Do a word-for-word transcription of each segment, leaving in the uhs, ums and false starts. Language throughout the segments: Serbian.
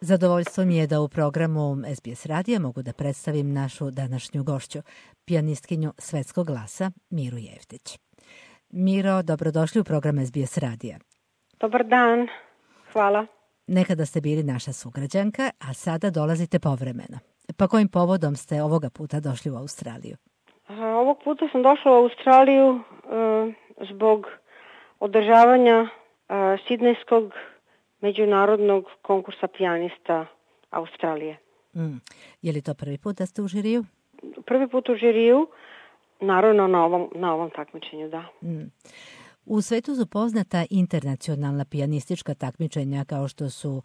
Zadovoljstvo mi je da u programu S B S radija mogu da predstavim našu današnju gošću, pijanistkinju svetskog glasa Miru Jeftić. Miro, dobrodošli u program S B S radija. Dobar dan, hvala. Nekada ste bili naša sugrađanka, a sada dolazite povremeno. Pa kojim povodom ste ovoga puta došli u Australiju? A, ovog puta sam došla u Australiju e, zbog održavanja e, Sidnejskog međunarodnog konkursa pijanista Australije. Mm. Je li to prvi put da ste u žiriju? Prvi put u žiriju, naravno na ovom, na ovom takmičenju, da. Mm. U svetu su poznata internacionalna pijanistička takmičenja kao što su uh,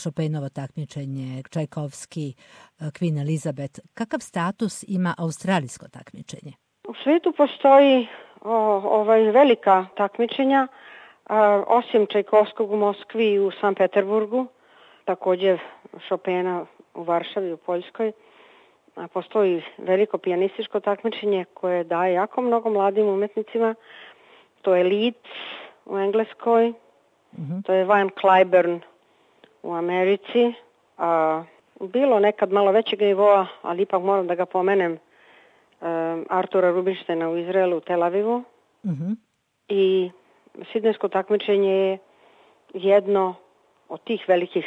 Chopinovo takmičenje, Čajkovski, uh, Queen Elizabeth. Kakav status ima australijsko takmičenje? U svetu postoji o, ovaj velika takmičenja, a, osim Čajkovskog u Moskvi i u Sankt Peterburgu, također Chopina u Varšavi u Poljskoj. A, postoji veliko pijanističko takmičenje koje daje jako mnogo mladim umetnicima. To je Leeds u Engleskoj, mm-hmm. to je Van Cliburn u Americi. A, bilo nekad malo većeg nivoa, ali ipak moram da ga pomenem, um, Artura Rubinsteina u Izraelu, u Tel Avivu. Mm-hmm. I Sidnejsko takmičenje je jedno od tih velikih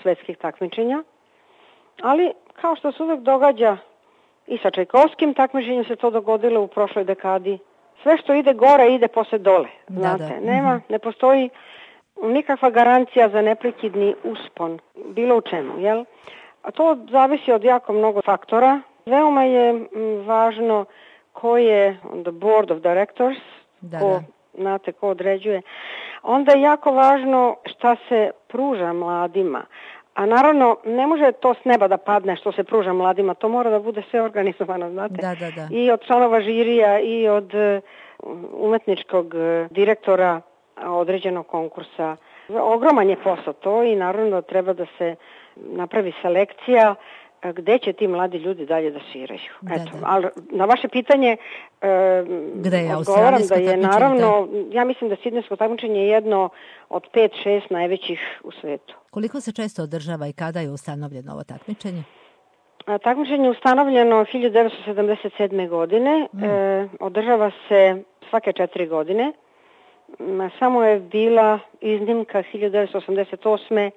svetskih takmičenja. Ali, kao što se uvek događa i sa Čajkovskim takmičenjem se to dogodilo u prošloj dekadi. Sve što ide gore ide posle dole, znate. Da, da. Nema, ne postoji nikakva garancija za neprekidni uspon, bilo u čemu, jel? A to zavisi od jako mnogo faktora. Veoma je m, važno ko je on the board of directors, da, ko, da. znate, ko određuje. Onda je jako važno šta se pruža mladima. A naravno, ne može to s neba da padne što se pruža mladima, to mora da bude sve organizovano, znate. Da, da, da. I od članova žirija i od umetničkog direktora određenog konkursa. Ogroman je posao to i naravno treba da se napravi selekcija gde će ti mladi ljudi dalje da sviraju. Da, Eto, da. ali na vaše pitanje e, je odgovaram da je naravno, da? ja mislim da Sidnejsko takmičenje je jedno od pet šest najvećih u svetu. Koliko se često održava i kada je ustanovljeno ovo takmičenje? A, takmičenje je ustanovljeno hiljadu devetsto sedamdeset sedme. godine. Mm. E, održava se svake četiri godine. Samo je bila iznimka hiljadu devetsto osamdeset osme.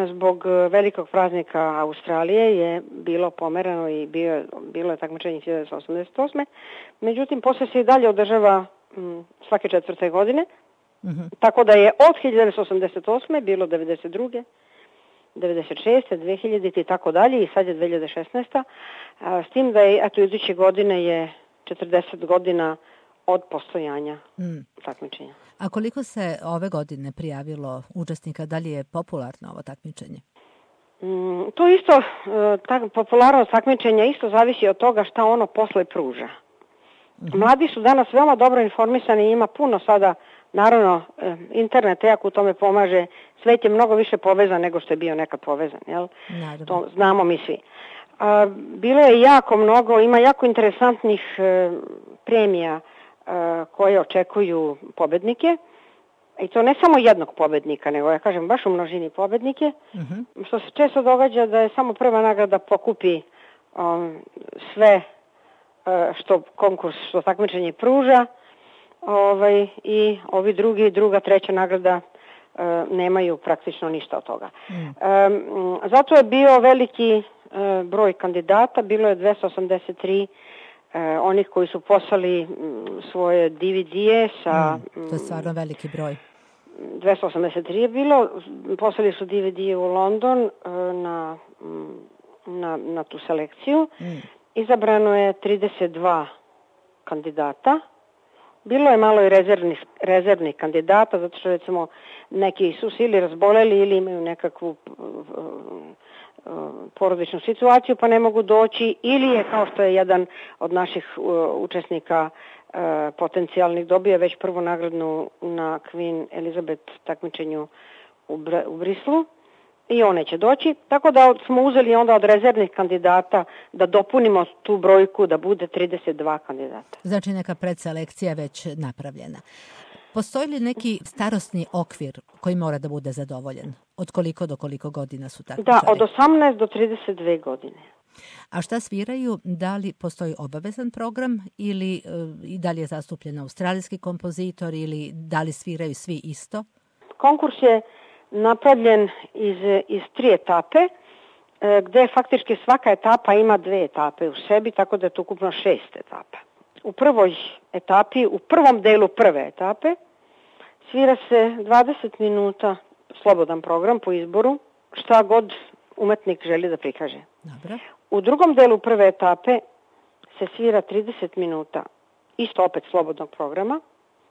Zbog velikog praznika Australije je bilo pomerano i bio, bilo je takmičenje hiljadu devetsto osamdeset osme. Međutim, posle se i dalje održava m, svake četvrte godine. Mm-hmm. Tako da je od hiljadu devetsto osamdeset osme bilo devedeset druge. devedeset šeste. dve hiljadite i tako dalje i sad je dve hiljade šesnaeste. A, s tim da je, eto, iduće godine je četrdeset godina od postojanja mm. takmičenja. A koliko se ove godine prijavilo učesnika? Da li je popularno ovo takmičenje? Mm, to isto, tak, popularnost takmičenja isto zavisi od toga šta ono posle pruža. Mm-hmm. Mladi su danas veoma dobro informisani i ima puno sada, naravno, internet jako u tome pomaže. Svet je mnogo više povezan nego što je bio nekad povezan, jel? Naravno. To znamo mi svi. A, bilo je jako mnogo, ima jako interesantnih e, premija koje očekuju pobednike. I to ne samo jednog pobednika, nego ja kažem baš u množini pobednike. Uh-huh. Što se često događa da je samo prva nagrada pokupi um, sve uh, što konkurs, što takmičenje pruža. Ovaj, i ovi drugi, druga, treća nagrada uh, nemaju praktično ništa od toga. Uh-huh. Um, zato je bio veliki uh, broj kandidata, bilo je dvesta osamdeset tri Uh, onih koji su poslali m, svoje D V D-e sa... Mm, to je stvarno veliki broj. dvesta osamdeset tri je bilo, poslali su D V D-e u London uh, na, na, na tu selekciju. Mm. Izabrano je trideset dva kandidata. Bilo je malo i rezervnih, rezervnih kandidata, zato što recimo neki su se ili razboleli ili imaju nekakvu porodičnu situaciju pa ne mogu doći, ili je, kao što je jedan od naših uh, učesnika uh, potencijalnih dobio već prvu nagradnu na Queen Elizabeth takmičenju u, Br- u Brislu i on neće doći, tako da smo uzeli onda od rezervnih kandidata da dopunimo tu brojku da bude trideset dva kandidata. Znači neka predselekcija već napravljena. Postoji li neki starosni okvir koji mora da bude zadovoljen? Od koliko do koliko godina su takmičari? Da, od osamnaest do trideset dve godine. A šta sviraju? Da li postoji obavezan program ili e, i da li je zastupljen australijski kompozitor ili da li sviraju svi isto? Konkurs je napravljen iz, iz tri etape, e, gde faktički svaka etapa ima dve etape u sebi, tako da je to ukupno šest etapa. U prvoj etapi, u prvom delu prve etape, svira se dvadeset minuta slobodan program po izboru, šta god umetnik želi da prikaže. Dobro. U drugom delu prve etape se svira trideset minuta, isto opet slobodnog programa.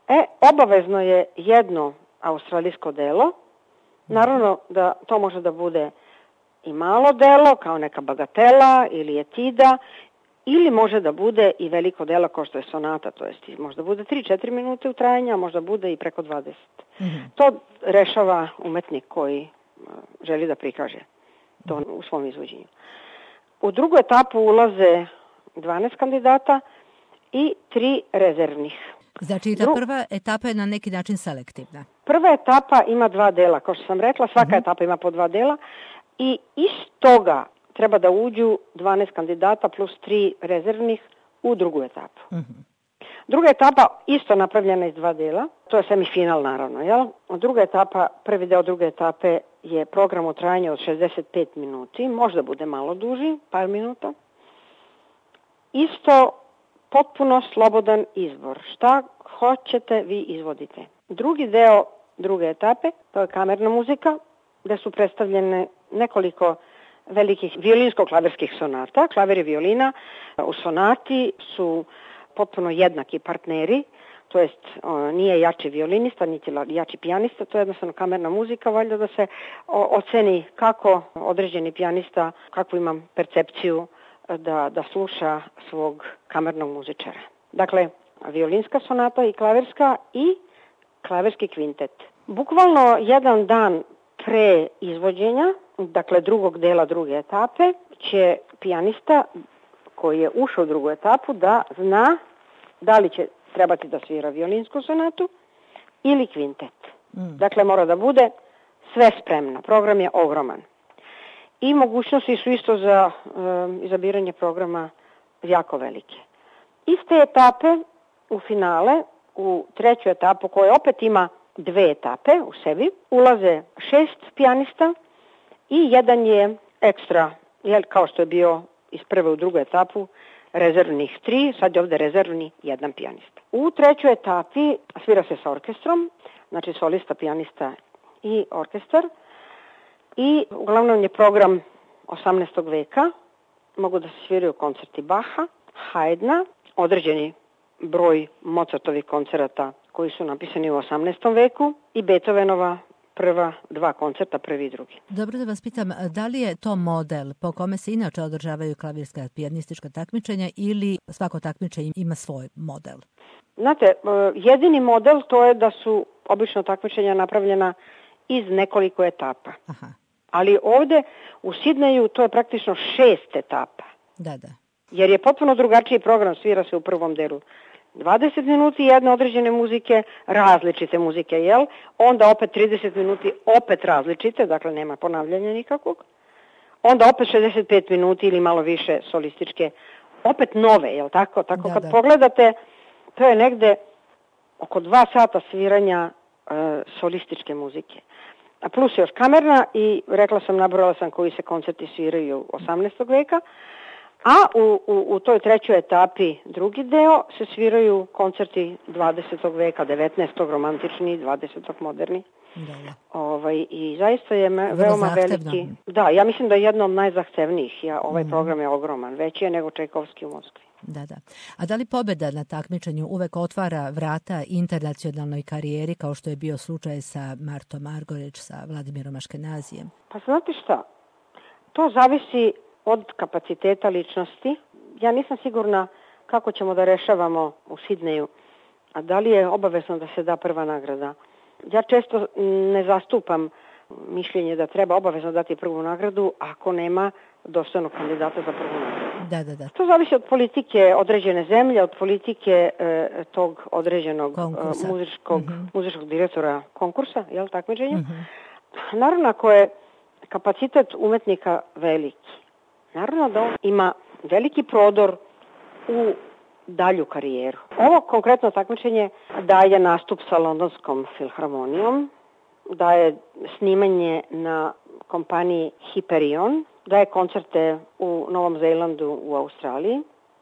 E, obavezno je jedno australijsko delo. Naravno da to može da bude i malo delo, kao neka bagatela ili etida, ili može da bude i veliko delo kao što je sonata, to jest možda bude tri do četiri minute u trajanju, a možda bude i preko dvadeset. Mm-hmm. To rešava umetnik koji želi da prikaže to u svom izvođenju. U drugu etapu ulaze dvanaest kandidata i tri rezervnih. Znači ta prva etapa je na neki način selektivna. Prva etapa ima dva dela, kao što sam rekla, svaka mm-hmm. etapa ima po dva dela i iz toga treba da uđu dvanaest kandidata plus tri rezervnih u drugu etapu. Mm-hmm. Druga etapa isto napravljena iz dva dela, to je semifinal naravno, jel? Druga etapa, prvi deo druge etape je program u trajanju od šezdeset pet minuti, možda bude malo duži, par minuta. Isto potpuno slobodan izbor. Šta hoćete, vi izvodite. Drugi deo druge etape, to je kamerna muzika, gde su predstavljene nekoliko velikih violinsko-klaverskih sonata. Klaver i violina u sonati su potpuno jednaki partneri, to jest o, nije jači violinista, niti jači pijanista, to je jednostavno kamerna muzika, valjda da se o, oceni kako određeni pijanista, kakvu ima percepciju da, da sluša svog kamernog muzičara. Dakle, violinska sonata i klaverska i klaverski kvintet. Bukvalno jedan dan pre izvođenja, dakle drugog dela druge etape, će pijanista koji je ušao u drugu etapu da zna da li će trebati da svira violinsku sonatu ili kvintet. Mm. Dakle, mora da bude sve spremno. Program je ogroman. I mogućnosti su isto za um, izabiranje programa jako velike. Iz te etape u finale, u treću etapu koja opet ima dve etape u sebi, ulaze šest pijanista i jedan je ekstra, jel, kao što je bio iz prve u drugu etapu, rezervnih tri, sad je ovde rezervni jedan pijanista. U trećoj etapi svira se sa orkestrom, znači solista, pijanista i orkestar. I uglavnom je program osamnaestog veka, mogu da se sviraju koncerti Baha, Haydna, određeni broj Mozartovih koncerata koji su napisani u osamnaestom veku i Beethovenova prva dva koncerta, prvi i drugi. Dobro da vas pitam, da li je to model po kome se inače održavaju klavirska pijanistička takmičenja ili svako takmičenje ima svoj model? Znate, jedini model to je da su obično takmičenja napravljena iz nekoliko etapa. Aha. Ali ovde u Sidneju to je praktično šest etapa. Da, da. Jer je potpuno drugačiji program, svira se u prvom delu dvadeset minuti jedne određene muzike, različite muzike, jel? Onda opet trideset minuti, opet različite, dakle nema ponavljanja nikakvog. Onda opet šezdeset pet minuti ili malo više solističke, opet nove, jel tako? Tako da, kad da. Pogledate, to je negde oko dva sata sviranja e, solističke muzike. A plus još kamerna i rekla sam, nabrojala sam koji se koncerti sviraju osamnaestog veka, a u, u, u toj trećoj etapi drugi deo se sviraju koncerti dvadesetog veka, devetnaestog romantični, dvadesetog moderni. Da, da. Ovaj, I zaista je me, veoma zahtevno. Veliki. Da, ja mislim da je jedno od najzahtevnijih. Ja, ovaj mm. program je ogroman, veći je nego Čajkovski u Moskvi. Da, da. A da li pobeda na takmičenju uvek otvara vrata internacionalnoj karijeri, kao što je bio slučaj sa Martom Margorić, sa Vladimirom Aškenazijem? Pa znate šta, to zavisi od kapaciteta ličnosti. Ja nisam sigurna kako ćemo da rešavamo u Sidneju, a da li je obavezno da se da prva nagrada. Ja često ne zastupam mišljenje da treba obavezno dati prvu nagradu ako nema dostojnog kandidata za prvu nagradu. Da, da, da. To zavisi od politike određene zemlje, od politike e, tog određenog e, muzičkog, mm-hmm. muzičkog direktora konkursa, jel, takmičenja. Mm-hmm. Naravno, ako je kapacitet umetnika veliki, naravno da on ima veliki prodor u dalju karijeru. Ovo konkretno takmičenje daje nastup sa Londonskom filharmonijom, daje snimanje na kompaniji Hyperion, daje koncerte u Novom Zelandu, u Australiji.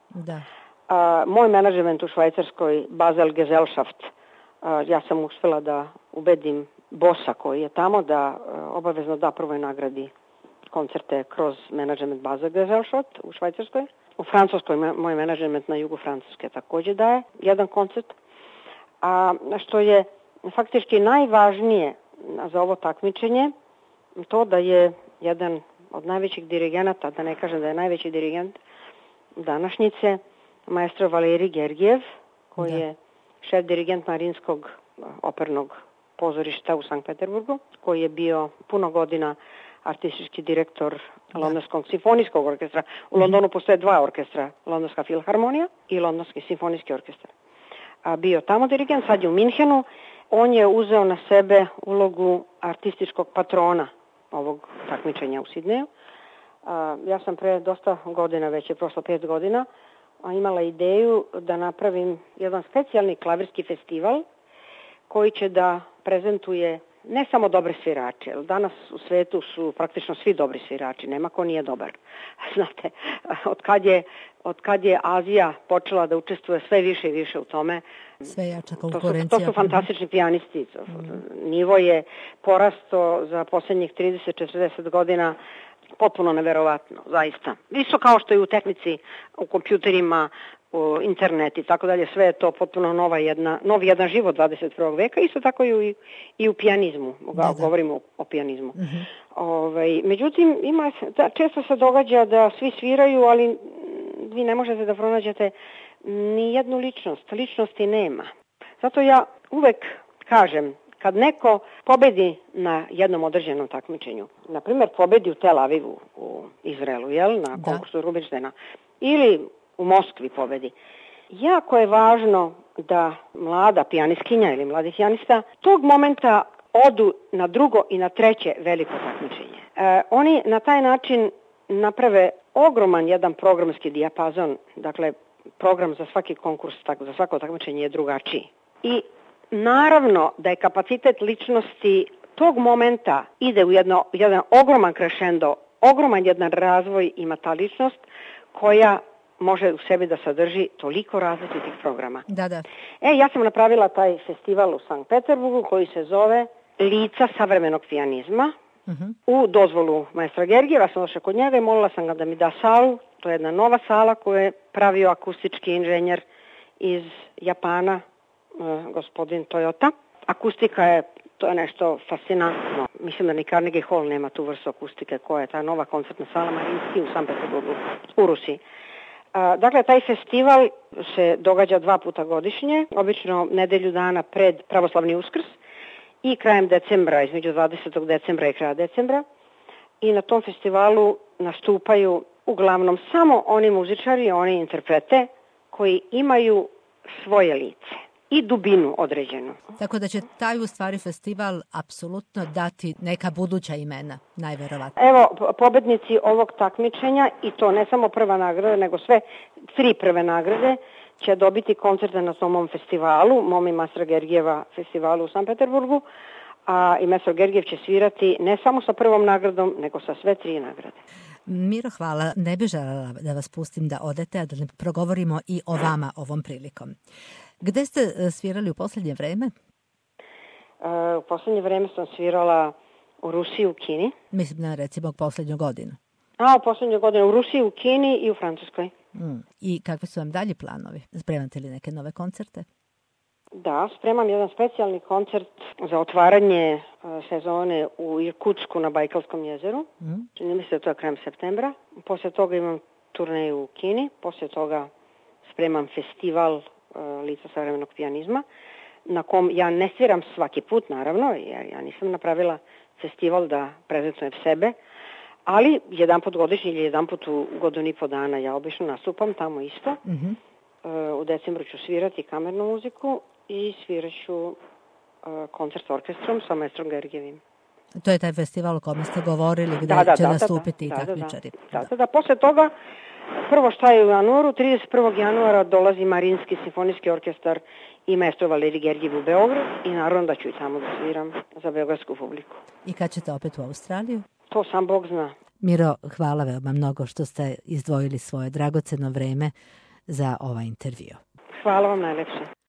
Da. A, moj menadžment u Švajcarskoj, Basel Gesellschaft, a, ja sam uspjela da ubedim bosa koji je tamo da a, obavezno da prvoj nagradi koncerte kroz menadžment Basel Gesellschaft u Švajcarskoj. U Francuskoj moj menadžment na jugu Francuske također daje jedan koncert. A što je faktički najvažnije za ovo takmičenje, to da je jedan od najvećih dirigenata, da ne kažem da je najveći dirigent današnjice, maestro Valerij Gergijev, koji da. je šef dirigent Marinskog opernog pozorišta u Sankt Peterburgu, koji je bio puno godina artistički direktor da. Londonskog simfonijskog orkestra. U Londonu postoje dva orkestra, Londonska filharmonija i Londonski simfonijski orkestar. A bio tamo dirigent, sad je u Minhenu. On je uzeo na sebe ulogu artističkog patrona ovog takmičenja u Sidneju. Ja sam pre dosta godina, već je prošlo pet godina, imala ideju da napravim jedan specijalni klavirski festival koji će da prezentuje ne samo dobre svirače, jer danas u svetu su praktično svi dobri svirači, nema ko nije dobar. Znate, od kad je, od kad je Azija počela da učestvuje sve više i više u tome, sve jača konkurencija. To su, to su fantastični pijanisti. Mm. Nivo je porasto za posljednjih trideset do četrdeset godina potpuno neverovatno, zaista. Isto kao što je u tehnici, u kompjuterima, u internet i tako dalje, sve je to potpuno nova jedna, novi jedan život dvadeset prvog veka, isto tako i u, i u pijanizmu, da, da. govorimo o, o pijanizmu. Mm-hmm. Ovaj, međutim, ima, da, često se događa da svi sviraju, ali vi ne možete da pronađete ni jednu ličnost, ličnosti nema. Zato ja uvek kažem, kad neko pobedi na jednom određenom takmičenju, na primjer pobedi u Tel Avivu u Izraelu, jel, na konkursu Rubinštejna, ili u Moskvi pobedi, jako je važno da mlada pijanistkinja ili mladi pijanista tog momenta odu na drugo i na treće veliko takmičenje. E, oni na taj način naprave ogroman jedan programski dijapazon, dakle program za svaki konkurs, tako, za svako takmičenje je drugačiji. I naravno da je kapacitet ličnosti tog momenta ide u jedno, jedan ogroman crescendo, ogroman jedan razvoj ima ta ličnost koja može u sebi da sadrži toliko različitih programa. Da, da. E, ja sam napravila taj festival u Sankt Peterburgu koji se zove Lica savremenog pijanizma. Uh-huh. U dozvolu maestra Gergijeva sam došla kod njega i molila sam ga da mi da salu. To je jedna nova sala koju je pravio akustički inženjer iz Japana, eh, gospodin Toyota. Akustika je, to je nešto fascinantno. Mislim da ni Carnegie Hall nema tu vrstu akustike koja je ta nova koncertna sala Marinski u Sankt Peterburgu, u Rusiji. Dakle, taj festival se događa dva puta godišnje, obično nedelju dana pred pravoslavni Uskrs i krajem decembra, između dvadesetog decembra i kraja decembra. I na tom festivalu nastupaju uglavnom samo oni muzičari, oni interprete koji imaju svoje lice i dubinu određenu. Tako da će taj u stvari festival apsolutno dati neka buduća imena, najverovatnije. Evo, pobednici ovog takmičenja, i to ne samo prva nagrada, nego sve tri prve nagrade, će dobiti koncerte na tom festivalu, mom i maestra Gergijeva festivalu u Sankt Peterburgu, a i maestro Gergijev će svirati ne samo sa prvom nagradom, nego sa sve tri nagrade. Miro, hvala. Ne bih željela da vas pustim da odete, a da ne progovorimo i o vama ovom prilikom. Gde ste svirali u posljednje vreme? Uh, u posljednje vreme sam svirala u Rusiji, u Kini. Mislim na recimo posljednju godinu. A, u posljednju godinu u Rusiji, u Kini i u Francuskoj. Mm. I kakvi su vam dalji planovi? Spremate li neke nove koncerte? Da, spremam jedan specijalni koncert za otvaranje uh, sezone u Irkutsku na Bajkalskom jezeru. Mm. Čini mi se da to je krajem septembra. Poslije toga imam turneju u Kini. Poslije toga spremam festival uh, Lica savremenog pijanizma, na kom ja ne sviram svaki put, naravno. Ja, ja nisam napravila festival da prezentujem sebe, ali jedan put godišnji ili jedan put u godinu i po dana ja obično nastupam tamo isto. Mm-hmm. U decembru ću svirati kamernu muziku i sviraću koncert s orkestrom sa maestrom Gergijevim. To je taj festival o kome ste govorili, gde da, da, će da, nastupiti da, i da, takmičari. Da, da, da, da. Posle toga, prvo šta je u januaru, trideset prvog januara dolazi Marinski simfonijski orkestar i maestro Valerij Gergijev u Beograd i naravno da ću i tamo da sviram za beogradsku publiku. I kad ćete opet u Australiju? To sam Bog zna. Miro, hvala veoma mnogo što ste izdvojili svoje dragoceno vreme za ovaj intervju. Hvala vam najlepše.